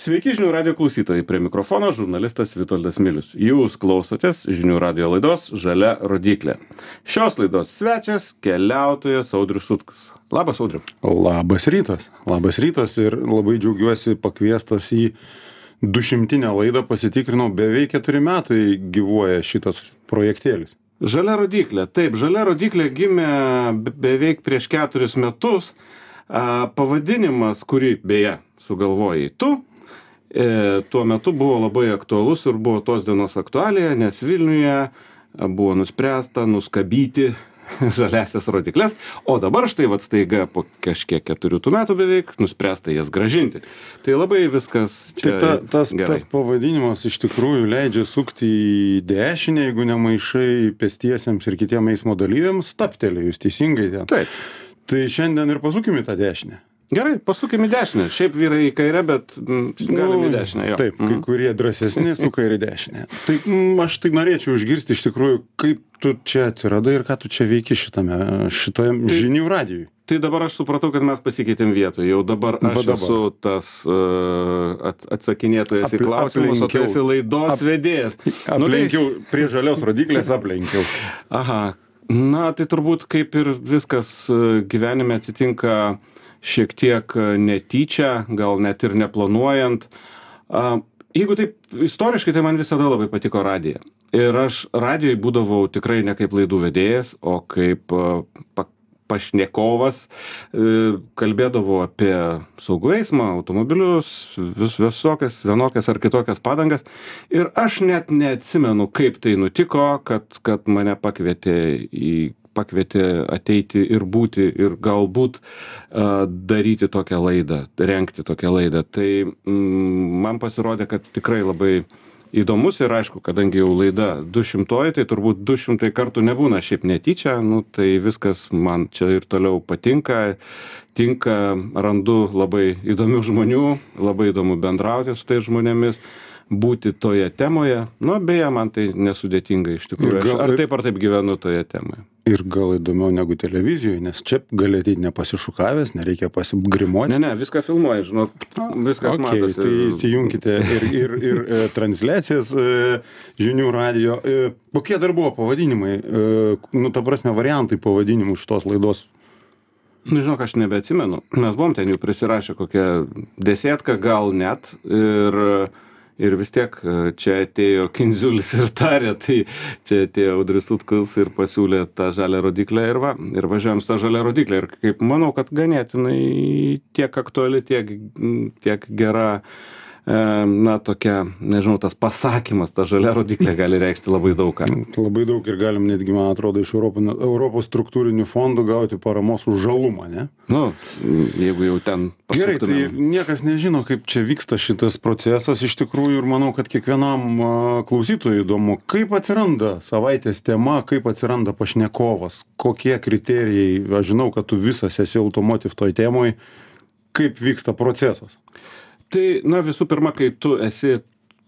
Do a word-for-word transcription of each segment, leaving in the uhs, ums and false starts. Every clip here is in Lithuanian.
Sveiki žinių radio klausytojai, prie mikrofono žurnalistas Vitoldas Milius. Jūs klausotės žinių radio laidos Žalia rodyklė. Šios laidos svečias keliautojas Audrius Sutkus. Labas, Audriu. Labas rytas. Labas rytas ir labai džiaugiuosi pakviestas į dušimtinę laidą. Pasitikrinau, beveik keturi metai gyvuoja šitas projektėlis. Žalia rodyklė. Taip, Žalia rodyklė gimė beveik prieš keturis metus. Pavadinimas, kurį beje sugalvojai tu, E, tuo metu buvo labai aktualus ir buvo tos dienos aktualija, nes Vilniuje buvo nuspręsta nuskabyti žaliasias rodyklės, o dabar štai vat staiga po kažkiek keturių metų beveik nuspręsta jas grąžinti. Tai labai viskas čia tai ta, tas, gerai. Tas pavadinimas iš tikrųjų leidžia sukti į dešinę, jeigu nemaišai pėstiesiems ir kitiem eismo dalyviams, staptelėjus teisingai ten. Taip. Tai šiandien ir pasukime tą dešinę. Gerai, pasukime į dešinę. Šiaip vyrai į kairę, bet mm, galime į dešinę. Jo. Taip, kai kurie drąsesni suka ir į dešinę. Tai mm, aš tai norėčiau išgirsti iš tikrųjų, kaip tu čia atsiradai ir ką tu čia veiki šitame, šitoje tai, žinių radijui. Tai dabar aš supratau, kad mes pasikeitėm vietoje. Jau dabar aš dabar. esu tas uh, atsakinėtojas į klausimus, o tu esi laidos Ap, vedėjas. Aplenkiau, nu, tai... prie žalios rodyklės aplenkiau. Aha, na tai turbūt kaip ir viskas gyvenime atsitinka šiek tiek netyčia, gal net ir neplanuojant. Jeigu taip istoriškai, tai man visada labai patiko radija. Ir aš radijoj būdavau tikrai ne kaip laidų vedėjas, o kaip pa, pašnekovas. Kalbėdavau apie saugų eismą, automobilius, vis, visokias, vienokias ar kitokias padangas. Ir aš net neatsimenu, kaip tai nutiko, kad, kad mane pakvietė į pakvietė ateiti ir būti ir galbūt uh, daryti tokią laidą, rengti tokią laidą. Tai mm, man pasirodė, kad tikrai labai įdomus ir aišku, kadangi jau laida du šimtoji, tai turbūt du šimtai kartų nebūna šiaip netyčia, nu, tai viskas man čia ir toliau patinka, tinka, randu labai įdomių žmonių, labai įdomu bendrauti su tais žmonėmis, būti toje temoje. Nu, beje, man tai nesudėtinga iš tikrųjų. Gal, aš ar taip ar taip gyvenu toje temoje. Ir gal įdomiau negu televizijoje, nes čia gali ateiti nepasišukavęs, nereikia pasigrimuoti. Ne, ne, viską filmuoji, žinok, viskas okay, matosi. Tai įsijunkite ir, ir, ir e, transliacijas e, žinių radio. E, kokie dar buvo pavadinimai, e, nu, ta prasme, variantai pavadinimų šitos laidos? Nu, žinok, aš nebeatsimenu. Mes buvom ten jau prisirašę kokią desėtką, gal net. Ir... Ir vis tiek čia atėjo Kindziulis ir tarė, tai čia atėjo Audrius Sutkus ir pasiūlė tą žalią rodyklę ir va, ir važiuojam su tą žalią rodyklę. Ir kaip manau, kad ganėtinai tiek aktuali, tiek, tiek gera, na tokia, nežinau, tas pasakymas, ta žalia rodyklė gali reikšti labai daug ką. Labai daug ir galim netgi, man atrodo, iš Europos, Europos struktūrinių fondų gauti paramos už žalumą, ne? Nu, jeigu jau ten pasuktumėm. Gerai, tai niekas nežino, kaip čia vyksta šitas procesas iš tikrųjų ir manau, kad kiekvienam klausytojui įdomu, kaip atsiranda savaitės tema, kaip atsiranda pašnekovas, kokie kriterijai, aš žinau, kad tu visas esi automotive toj temoj, kaip vyksta procesas. Tai, na, visų pirma, kai tu esi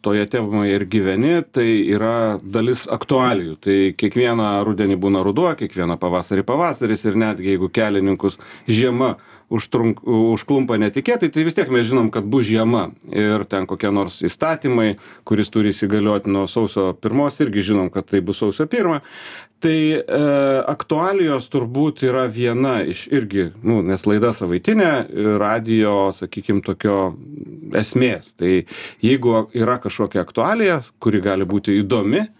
toje temoje ir gyveni, tai yra dalis aktualijų. Tai kiekvieną rudenį būna ruduo, kiekvieną pavasarį pavasaris ir netgi jeigu kelininkus žiema užtrunk, užklumpa netikėtai, tai vis tiek mes žinom, kad bus žiema. Ir ten kokie nors įstatymai, kuris turi įsigalioti nuo sausio pirmos, irgi žinom, kad tai bus sausio pirmą. Tai e, aktualijos turbūt yra viena iš irgi, nu, nes laida savaitinė, radijo, sakykim, tokio esmės. Tai jeigu yra kažkokia aktualija, kuri gali būti įdomi, e,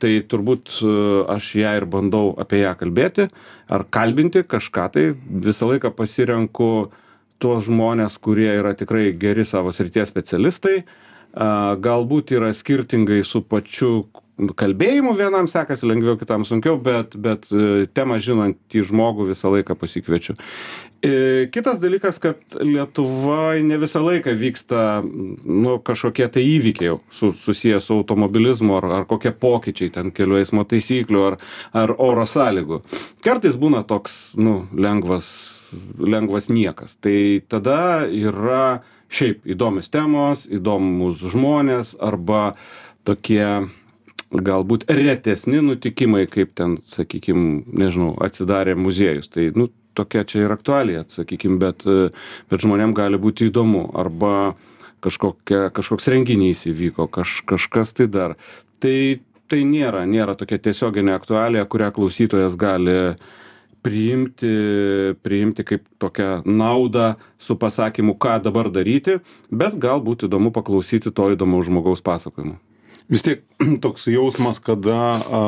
tai turbūt e, aš ją ir bandau apie ją kalbėti ar kalbinti kažką, tai visą laiką pasirenku tuos žmonės, kurie yra tikrai geri savo srities specialistai, e, galbūt yra skirtingai su pačiu kalbėjimu, vienam sekasi lengviau, kitam sunkiau, bet, bet temą žinantį žmogų visą laiką pasikviečiu. Kitas dalykas, kad Lietuvoje ne visą laiką vyksta nu, kažkokie tai įvykiai su, susiję su automobilizmu ar, ar kokie pokyčiai ten kelių eismo taisyklių ar, ar oro sąlygų. Kartais būna toks nu, lengvas, lengvas niekas. Tai tada yra šiaip įdomios temos, įdomus žmonės arba tokie galbūt retesni nutikimai, kaip ten, sakykim, nežinau, atsidarė muziejus. Tai, nu, tokia čia ir aktualija, sakykim, bet, bet žmonėm gali būti įdomu. Arba kažkokia, kažkoks renginys įvyko, kaž, kažkas tai dar. Tai, tai nėra, nėra tokia tiesioginė aktualija, kurią klausytojas gali priimti, priimti kaip tokią naudą su pasakymu, ką dabar daryti, bet galbūt įdomu paklausyti to įdomaus žmogaus pasakojimo. Vis tiek toks jausmas, kada a,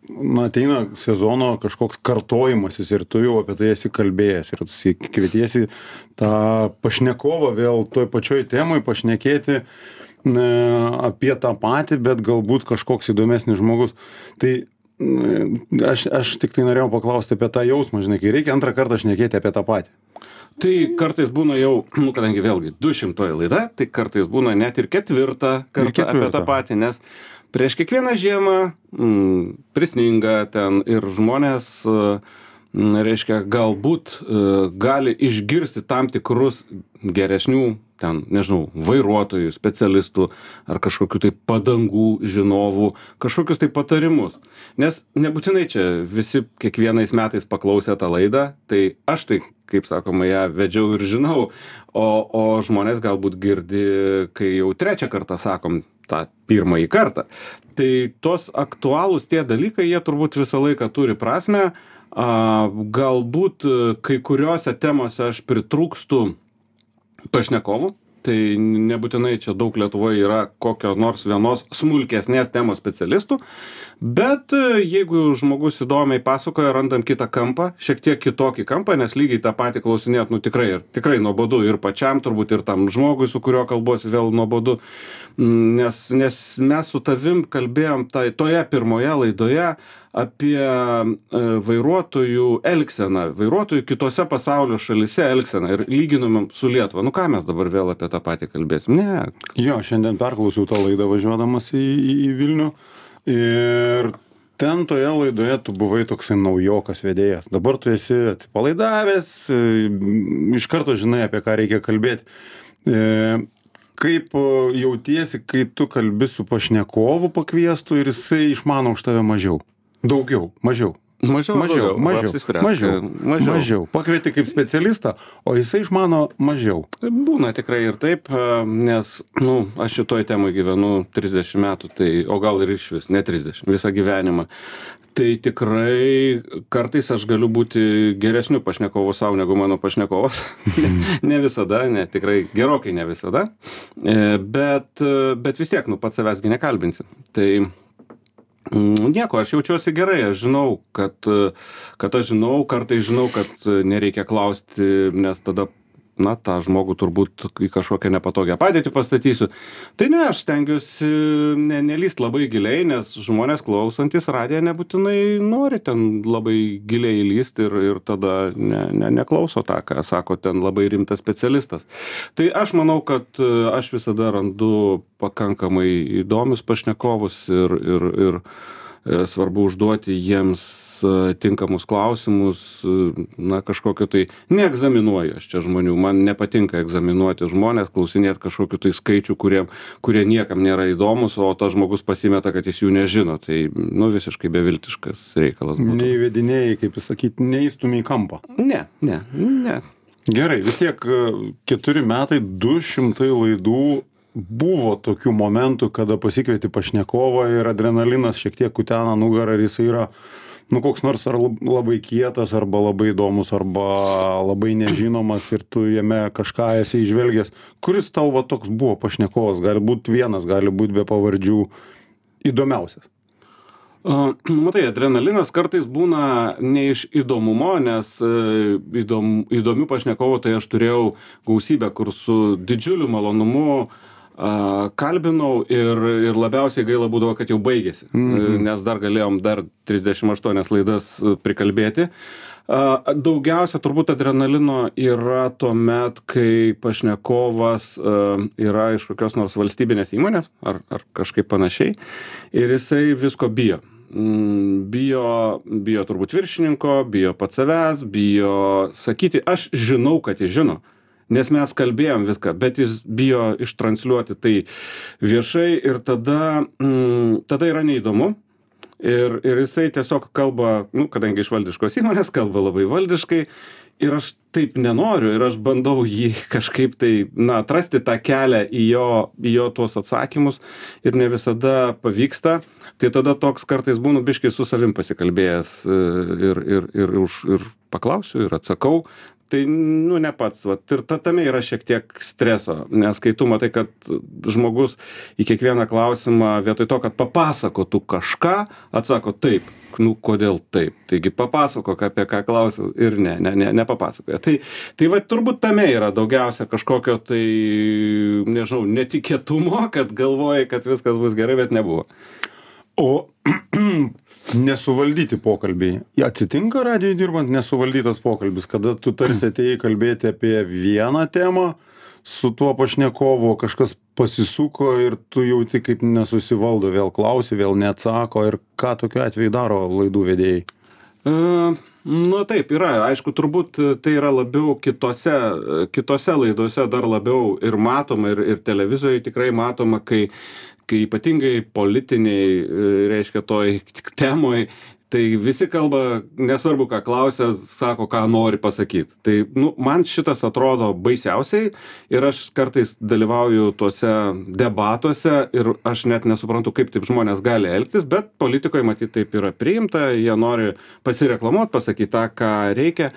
na, ateina sezono kažkoks kartojimasis ir tu jau apie tai esi kalbėjęs ir kvietiesi tą pašnekovą vėl toj pačioj temoj pašnekėti ne, apie tą patį, bet galbūt kažkoks įdomesnis žmogus. Tai Aš, aš tik tai norėjau paklausti apie tą jausmą, žinai, kai reikia antrą kartą šnekėti apie tą patį. Tai kartais būna jau, nu, kadangi vėlgi du šimtoji laida, tai kartais būna net ir ketvirtą kartą ir ketvirtą. Apie tą patį, nes prieš kiekvieną žiemą mm, prisninga ten ir žmonės, mm, reiškia, galbūt mm, gali išgirsti tam tikrus geresnių ten, nežinau, vairuotojų, specialistų ar kažkokių tai padangų žinovų, kažkokius tai patarimus. Nes nebūtinai čia visi kiekvienais metais paklausė tą laidą, tai aš tai, kaip sakoma, ją vedžiau ir žinau, o, o žmonės galbūt girdi, kai jau trečią kartą sakom tą pirmąjį kartą. Tai tos aktualūs tie dalykai, jie turbūt visą laiką turi prasmę. A, galbūt kai kuriuose temose aš pritrūkstu pašnekovų, tai nebūtinai čia daug Lietuvoje yra kokio nors vienos smulkesnės temos specialistų, bet jeigu žmogus įdomiai pasakoja, randam kitą kampą, šiek tiek kitokį kampą, nes lygiai tą patį klausinėt, nu tikrai, tikrai nuobodu ir pačiam, turbūt ir tam žmogui, su kuriuo kalbuosi, vėl nuobodu, nes, nes mes su tavim kalbėjom tai, toje pirmoje laidoje apie vairuotojų elgseną, vairuotojų kitose pasaulio šalyse elgseną ir lyginumėm su Lietuva. Nu ką mes dabar vėl apie tą patį kalbėsim? Ne. Jo, šiandien perklausiau tą laidą važiuodamas į, į, į Vilnių ir ten toje laidoje tu buvai toksai naujokas vedėjas. Dabar tu esi atsipalaidavęs, iš karto žinai, apie ką reikia kalbėti. Kaip jautiesi, kai tu kalbi su pašnekovu pakviestu ir jisai išmano už tave mažiau? Daugiau, mažiau. Mažiau, mažiau, mažiau, mažiau, mažiau. mažiau. Pakvieti kaip specialistą, o jisai išmano mažiau. Būna tikrai ir taip, nes, nu, aš šitoj temai gyvenu trisdešimt metų, tai, o gal ir iš vis, ne trisdešimt, visą gyvenimą. Tai tikrai kartais aš galiu būti geresniu pašnekovu savo negu mano pašnekovas. ne, ne visada, ne, tikrai gerokai ne visada. Bet, bet vis tiek, nu, pats savęsgi nekalbinsi. Tai nieko, aš jaučiuosi gerai, aš žinau, kad, kad aš žinau, kartais žinau, kad nereikia klausti, nes tada, na, tą žmogų turbūt į kažkokią nepatogią padėtį pastatysiu. Tai ne, aš stengiuosi ne, nelyst labai giliai, nes žmonės klausantis radiją nebūtinai nori ten labai giliai įlysti ir, ir tada ne, ne, neklauso tą, ką sako ten labai rimtas specialistas. Tai aš manau, kad aš visada randu pakankamai įdomius pašnekovus ir, ir, ir svarbu užduoti jiems tinkamus klausimus, na, kažkokio tai, neegzaminuoju aš čia žmonių, man nepatinka egzaminuoti žmonės, klausinėti kažkokiu tai skaičių, kurie, kurie niekam nėra įdomus, o tas žmogus pasimeta, kad jis jų nežino, tai, nu, visiškai beviltiškas reikalas būtų. Neįvedinėjai, kaip pasakyti, neįstumė į kampą. Ne, ne, ne. Gerai, vis tiek keturi metai, du šimtai laidų, buvo tokių momentų, kada pasikvieti pašnekovą ir adrenalinas šiek tiek kutena nugarą ir jis yra, nu, koks nors ar labai kietas, arba labai įdomus, arba labai nežinomas ir tu jame kažką esi įžvelgęs. Kuris tau va toks buvo pašnekovas? Gali būti vienas, gali būti be pavardžių įdomiausias. Uh, matai, adrenalinas kartais būna ne iš įdomumo, nes uh, įdom, įdomių pašnekovų tai aš turėjau gausybę, kur su didžiuliu malonumu Uh, kalbinau ir, ir labiausiai gaila būdavo, kad jau baigėsi, mm-hmm. nes dar galėjom dar trisdešimt aštuonias laidas prikalbėti. Uh, daugiausia turbūt adrenalino yra tuomet, kai pašnekovas uh, yra iš kokios nors valstybinės įmonės ar, ar kažkaip panašiai ir jisai visko bijo. Mm, bijo, bijo turbūt viršininko, bijo pats savęs, bijo sakyti, aš žinau, kad jis žino. Nes mes kalbėjom viską, bet jis bijo ištransliuoti tai viešai ir tada, mm, tada yra neįdomu. Ir, ir jisai tiesiog kalba, nu, kadangi iš valdiškos įmonės kalba labai valdiškai ir aš taip nenoriu ir aš bandau jį kažkaip tai, na, atrasti tą kelią į jo, į jo tuos atsakymus ir ne visada pavyksta. Tai tada toks kartais būnu biškai su savim pasikalbėjęs ir, ir, ir, už, ir paklausiu ir atsakau. Tai, nu, ne pats, vat, ir ta, tame yra šiek tiek streso, nes kai tu matai, kad žmogus į kiekvieną klausimą vietoj to, kad papasakotų kažką, atsako taip, nu, kodėl taip, taigi papasakok, apie ką klausiau ir ne, ne, ne, nepapasakoja. Tai, tai va, turbūt tame yra daugiausia kažkokio tai, nežinau, netikėtumo, kad galvoji, kad viskas bus gerai, bet nebuvo. O nesuvaldyti pokalbiai. Atsitinka radijoj dirbant nesuvaldytas pokalbis, kada tu tarsi atėjai kalbėti apie vieną temą su tuo pašnekovu, kažkas pasisuko ir tu jauti kaip nesusivaldo, vėl klausi, vėl neatsako ir ką tokiu atveju daro laidų vedėjai? Uh, nu taip, yra. Aišku, turbūt tai yra labiau kitose, kitose laidose dar labiau ir matoma, ir, ir televizijoje tikrai matoma, kai kai ypatingai politiniai, reiškia, toj temoj, tai visi kalba, nesvarbu, ką klausia, sako, ką nori pasakyti. Tai, nu, man šitas atrodo baisiausiai ir aš kartais dalyvauju tuose debatuose ir aš net nesuprantu, kaip taip žmonės gali elgtis, bet politikoje, matyt, taip yra priimta, jie nori pasireklamuoti, pasakyti tą, ką reikia.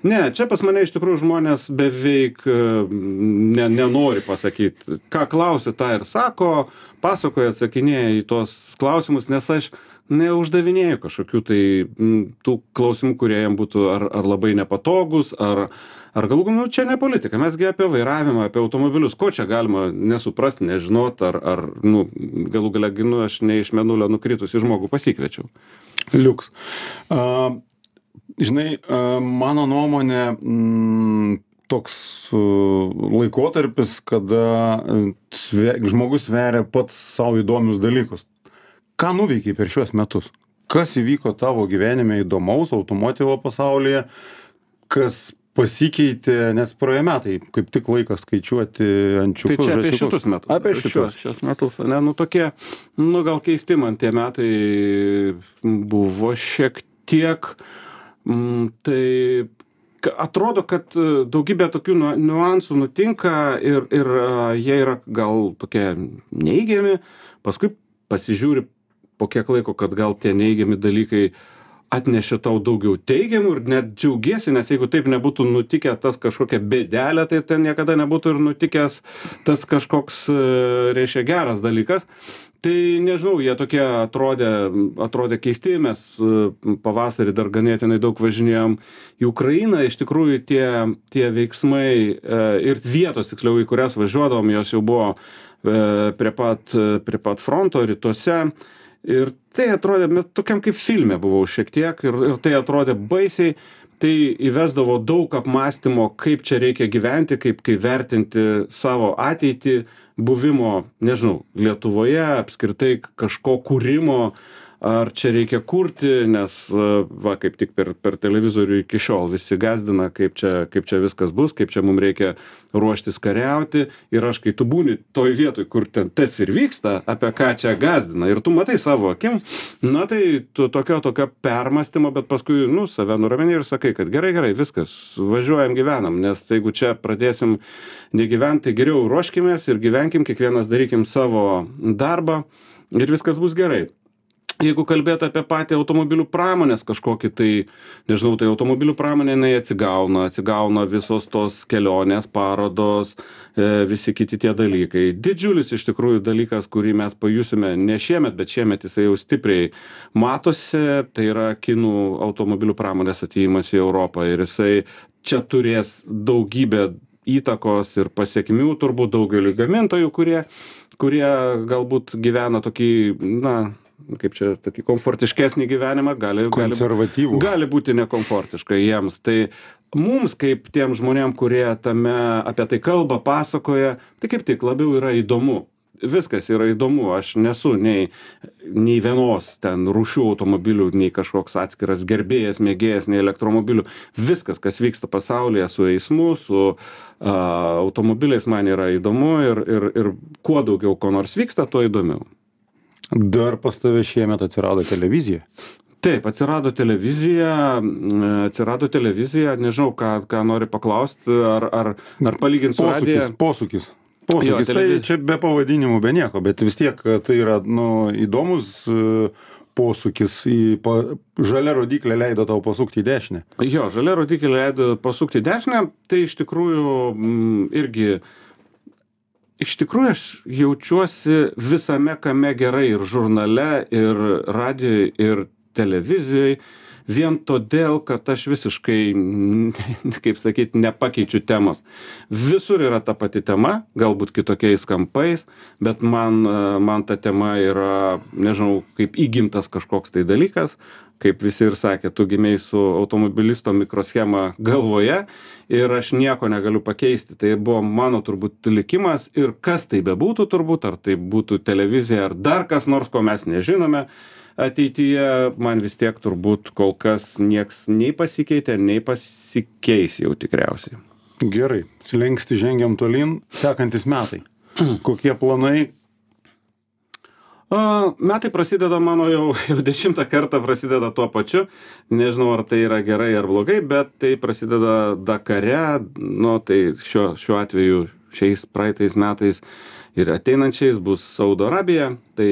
Ne, čia pas mane iš tikrųjų žmonės beveik ne, nenori pasakyti. Ką klausia, tą ir sako, pasakoja, atsakinėja į tos klausimus, nes aš neuždavinėju kažkokių tai m, tų klausimų, kurie jam būtų ar, ar labai nepatogus, ar, ar galų, nu, čia ne politika, mesgi apie vairavimą, apie automobilius, ko čia galima nesuprasti, nežinot, ar, ar nu, galų gale, nu, aš ne iš mėnulio nukritusi žmogų pasikviečiau. Liuks. Uh, žinai, uh, mano nuomonė, mm, toks uh, laikotarpis, kada uh, sve, žmogus sveria pats savo įdomius dalykus. Ką nuveikiai per šiuos metus? Kas įvyko tavo gyvenime įdomaus automotivo pasaulyje? Kas pasikeitė, nes praėjo metai, kaip tik laikas skaičiuoti ančiukus. Tai čia apie žąsiukus. šitus metus. Apie šitus. Šios metus. Ne, nu tokie, nu gal keisti man tie metai buvo šiek tiek, m, tai atrodo, kad daugybė tokių niuansų nutinka ir, ir jie yra gal tokie neigiami, paskui pasižiūri po kiek laiko, kad gal tie neigiami dalykai atnešė tau daugiau teigiamų ir net džiaugiesi, nes jeigu taip nebūtų nutikę tas kažkokia bėdelė, tai ten niekada nebūtų ir nutikęs tas kažkoks, reiškia, geras dalykas. Tai nežinau, jie tokie atrodė, atrodė keisti, mes pavasarį dar ganėtinai daug važinėjom į Ukrainą, iš tikrųjų tie, tie veiksmai ir vietos, tiksliau, į kurias važiuodavom, jos jau buvo prie pat, prie pat fronto rytuose. Ir tai atrodė, net tokiam kaip filme buvau šiek tiek ir, ir tai atrodė baisiai, tai įvesdavo daug apmąstymo, kaip čia reikia gyventi, kaip, kaip vertinti savo ateitį, buvimo, nežinau, Lietuvoje, apskritai kažko kūrimo, ar čia reikia kurti, nes, va, kaip tik per, per televizorių iki šiol visi gazdina, kaip čia, kaip čia viskas bus, kaip čia mums reikia ruoštis kariauti. Ir aš, kai tu būni toj vietoj, kur ten tas ir vyksta, apie ką čia gazdina, ir tu matai savo akim, na tai tu tokio, tokio permąstymo, bet paskui, nu, save nuramini ir sakai, kad gerai, gerai, viskas, važiuojam, gyvenam, nes jeigu čia pradėsim negyventi, tai geriau ruoškimės ir gyvenkim, kiekvienas darykim savo darbą ir viskas bus gerai. Jeigu kalbėt apie patį automobilių pramonės kažkokį, tai, nežinau, tai automobilių pramonė, jinai atsigauna, atsigauna visos tos kelionės, parodos, e, visi kiti tie dalykai. Didžiulis iš tikrųjų dalykas, kurį mes pajusime ne šiemet, bet šiemet jisai jau stipriai matosi, tai yra kinų automobilių pramonės atėjimas į Europą ir jisai čia turės daugybę įtakos ir pasiekmių, turbūt daugeliu gamintojų, kurie, kurie galbūt gyvena tokį, na, kaip čia, tokį komfortiškesnį gyvenimą, gali, gali, gali būti nekomfortiška jiems. Tai mums, kaip tiem žmonėm, kurie tame apie tai kalba, pasakoja, tai kaip tik labiau yra įdomu. Viskas yra įdomu, aš nesu nei, nei vienos ten rūšių automobilių, nei kažkoks atskiras gerbėjas, mėgėjas, nei elektromobilių. Viskas, kas vyksta pasaulyje su eismu, su a, automobiliais, man yra įdomu ir, ir, ir kuo daugiau ko nors vyksta, tuo įdomiau. Dar pas tave šiemet atsirado televizija. Taip, atsirado televizija, atsirado televizija, nežinau, ką, ką nori paklausti, ar, ar, ar palyginti su radija. Posūkis, posūkis. Jo, Tai televiz- čia be pavadinimų, be nieko, bet vis tiek tai yra nu, įdomus e, posūkis. Į pa, žalia rodiklė leido tau pasukti į dešinę. Jo, žalia rodiklė leido pasukti į dešinę, tai iš tikrųjų m, irgi, iš tikrųjų aš jaučiuosi visame kame gerai ir žurnale, ir radijoje, ir televizijoje, vien todėl, kad aš visiškai, kaip sakyti, nepakeičiu temos. Visur yra ta pati tema, galbūt kitokiais kampais, bet man, man ta tema yra, nežinau, kaip įgimtas kažkoks tai dalykas, kaip visi ir sakė, tu gimei su automobilisto mikroschema galvoje ir aš nieko negaliu pakeisti. Tai buvo mano turbūt likimas ir kas tai bebūtų turbūt, ar tai būtų televizija, ar dar kas nors, ko mes nežinome, ateityje man vis tiek turbūt kol kas nieks nei pasikeitė, nei pasikeis jau tikriausiai. Gerai, slengsti žengiam tolyn, sekantis metai. Kokie planai? A, metai prasideda mano jau, jau dešimtą kartą prasideda tuo pačiu. Nežinau, ar tai yra gerai ar blogai, bet tai prasideda Dakare. Nu, tai šiuo, šiuo atveju šiais praeitais metais ir ateinančiais bus Saudo Arabija. Tai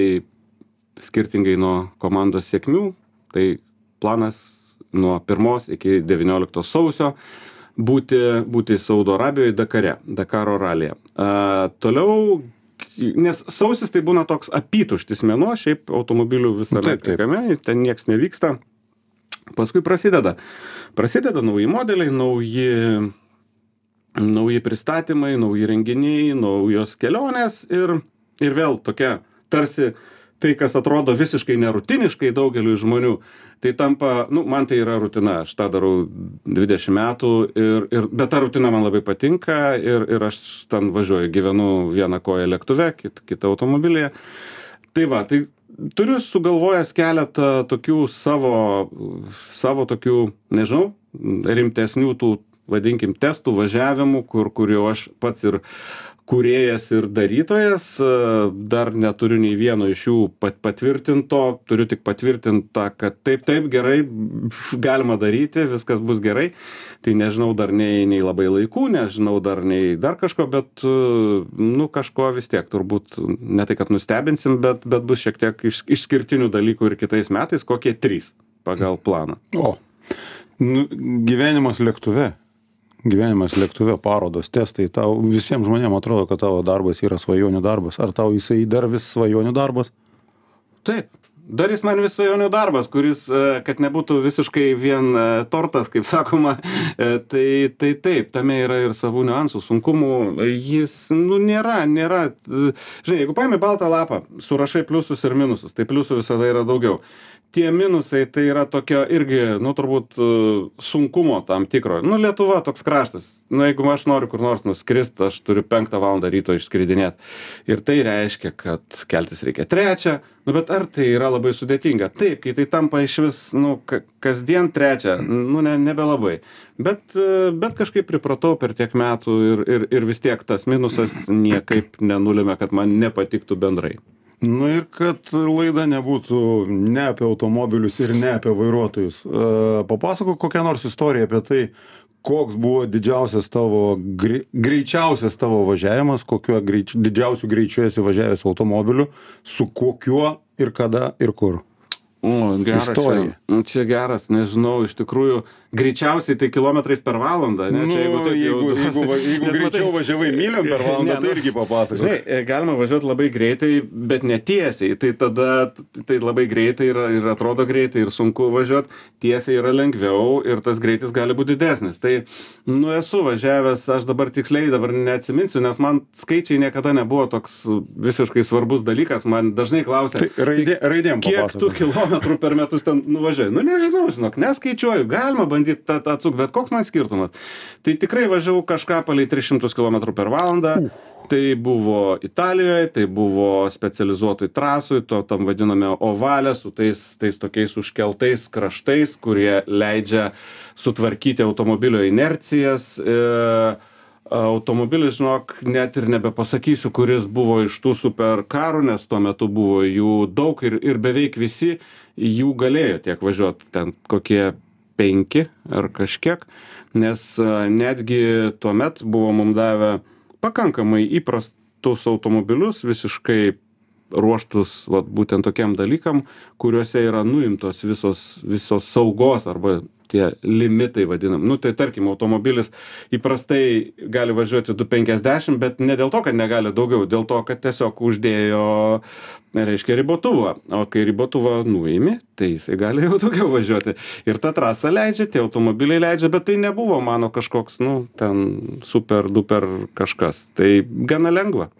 skirtingai nuo komandos sėkmių, tai planas nuo pirmos iki devynioliktos sausio būti, būti Saudo Arabijoje Dakare, Dakaro ralyje. A, toliau, nes sausis tai būna toks apytuštis mėnuo, šiaip automobilių visame Taip, taip. kame, ten nieks nevyksta. Paskui prasideda. Prasideda nauji modeliai, nauji, nauji pristatymai, nauji renginiai, naujos kelionės ir, ir vėl tokia tarsi tai, kas atrodo visiškai nerutiniškai daugeliui žmonių, tai tampa, nu, man tai yra rutina, aš tą darau dvidešimt metų, ir, ir, bet ta rutina man labai patinka ir, ir aš ten važiuoju, gyvenu vieną koją lėktuve, kit, kitą automobilyje. Tai va, tai turiu sugalvojęs keletą tokių savo, savo tokių, nežinau, rimtesnių tų, vadinkim, testų, važiavimų, kur, kur jau aš pats ir kūrėjas ir darytojas, dar neturiu nei vieno iš jų pat, patvirtinto, turiu tik patvirtintą, kad taip, taip, gerai, galima daryti, viskas bus gerai. Tai nežinau dar nei, nei labai laikų, nežinau dar nei dar kažko, bet, nu, kažko vis tiek turbūt, ne tai, kad nustebinsim, bet, bet bus šiek tiek iš, išskirtinių dalykų ir kitais metais, kokie trys pagal planą. O, nu, gyvenimas lėktuve. Gyvenimas lėktuve, parodos, testai, tau visiems žmonėms atrodo, kad tavo darbas yra svajonių darbas. Ar tau jisai dar vis svajonių darbas? Taip, dar jis man vis svajonių darbas, kuris, kad nebūtų visiškai vien tortas, kaip sakoma, tai, tai taip, tame yra ir savų niuansų, sunkumų, jis, nu, nėra, nėra, žinai, jeigu paimi baltą lapą, surašai pliusus ir minusus, tai pliusų visada yra daugiau. Tie minusai tai yra tokio irgi, nu, turbūt sunkumo tam tikro. Nu, Lietuva toks kraštas. Nu, jeigu aš noriu kur nors nuskrist, aš turiu penktą valandą ryto išskridinėti. Ir tai reiškia, kad keltis reikia trečią. Nu, bet ar tai yra labai sudėtinga? Taip, kai tai tampa iš vis, nu, kasdien trečią, nu, ne, nebelabai. Bet, bet kažkaip pripratau per tiek metų ir, ir, ir vis tiek tas minusas niekaip nenulėmė, kad man nepatiktų bendrai. Na ir kad laida nebūtų ne apie automobilius ir ne apie vairuotojus. Papasakok kokią nors istoriją apie tai, koks buvo didžiausias tavo, greičiausias tavo važiavimas, kokiuo greič, didžiausiu greičiu esi važiavęs automobiliu, su kokiuo ir kada ir kur. O, geras Istorija. čia, čia geras, nežinau, iš tikrųjų, greičiausiai tai kilometrais per valandą, ne? Nu, Čia, jeigu, taip, jeigu, jau, jeigu, va- jeigu Nes greičiau matai- važiavai myliom per valandą, Ne, tai nu, irgi papasakok. Žinai, galima važiuoti labai greitai, bet netiesiai, tai tada tai labai greitai ir, ir atrodo greitai ir sunku važiuoti, tiesiai yra lengviau ir tas greitis gali būti didesnis. Tai, nu, esu važiavęs, aš dabar tiksliai dabar neatsiminsiu, nes man skaičiai niekada nebuvo toks visiškai svarbus dalykas, man dažnai klausia, Tai raidė, raidėm kiek tu papasakok. kilometrų per metus ten nuvažiuoji? Nu, nežinau, žinok, neskaičiuoju, galima bandyti tą tą atsukti, bet koks man skirtumas. Tai tikrai važiavau kažką palei tris šimtus kilometrų per valandą. Tai buvo Italijoje, tai buvo specializuotoj trasoj, to tam vadiname ovalė, su tais, tais tokiais užkeltais kraštais, kurie leidžia sutvarkyti automobilio inercijas. E, automobilis, žinok, net ir nebepasakysiu, kuris buvo iš tų superkarų, nes tuo metu buvo jų daug ir, ir beveik visi jų galėjo tiek važiuoti, ten kokie penki ar kažkiek, nes netgi tuo met buvo mums davę pakankamai įprastus automobilius, visiškai ruoštus vat, būtent tokiam dalykam, kuriuose yra nuimtos visos, visos saugos arba tie limitai vadinam. Nu, tai tarkim, automobilis įprastai gali važiuoti du penkiasdešimt, bet ne dėl to, kad negali daugiau, dėl to, kad tiesiog uždėjo, reiškia, ribotuvą. O kai ribotuvą nuimi, tai jisai gali jau daugiau važiuoti. Ir ta trasa leidžia, tie automobiliai leidžia, bet tai nebuvo mano kažkoks, nu, ten super, duper kažkas. Tai gana lengva.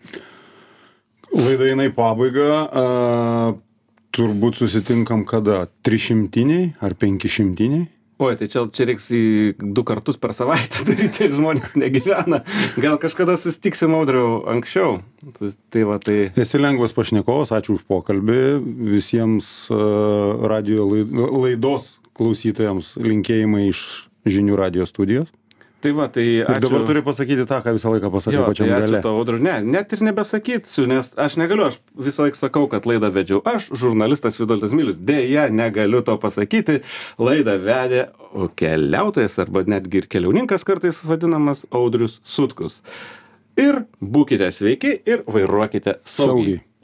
Laida eina į pabaigą. A, turbūt susitinkam kada? Trišimtiniai ar penkišimtiniai? Oi, tai čia, čia reiks į du kartus per savaitę daryti, tiek žmonės negyvena. Gal kažkada susitiksim, Audriau, anksčiau. Tai va, tai... Esi lengvas pašnekovas, ačiū už pokalbį. Visiems uh, radio laidos klausytojams linkėjimai iš Žinių radijo studijos. Tai va, tai ačiū. Ir dabar turi pasakyti tą, ką visą laiką pasakai pačiam tai gale. Ačiū tau, Audriau. Ne, net ir nebesakysiu, nes aš negaliu, aš visą laiką sakau, kad laidą vedžiau. Aš, žurnalistas Vitoldas Milius, dėja negaliu to pasakyti. Laidą vedė keliautojas arba netgi ir keliauninkas kartais vadinamas Audrius Sutkus. Ir būkite sveiki ir vairuokite saugiai. saugiai.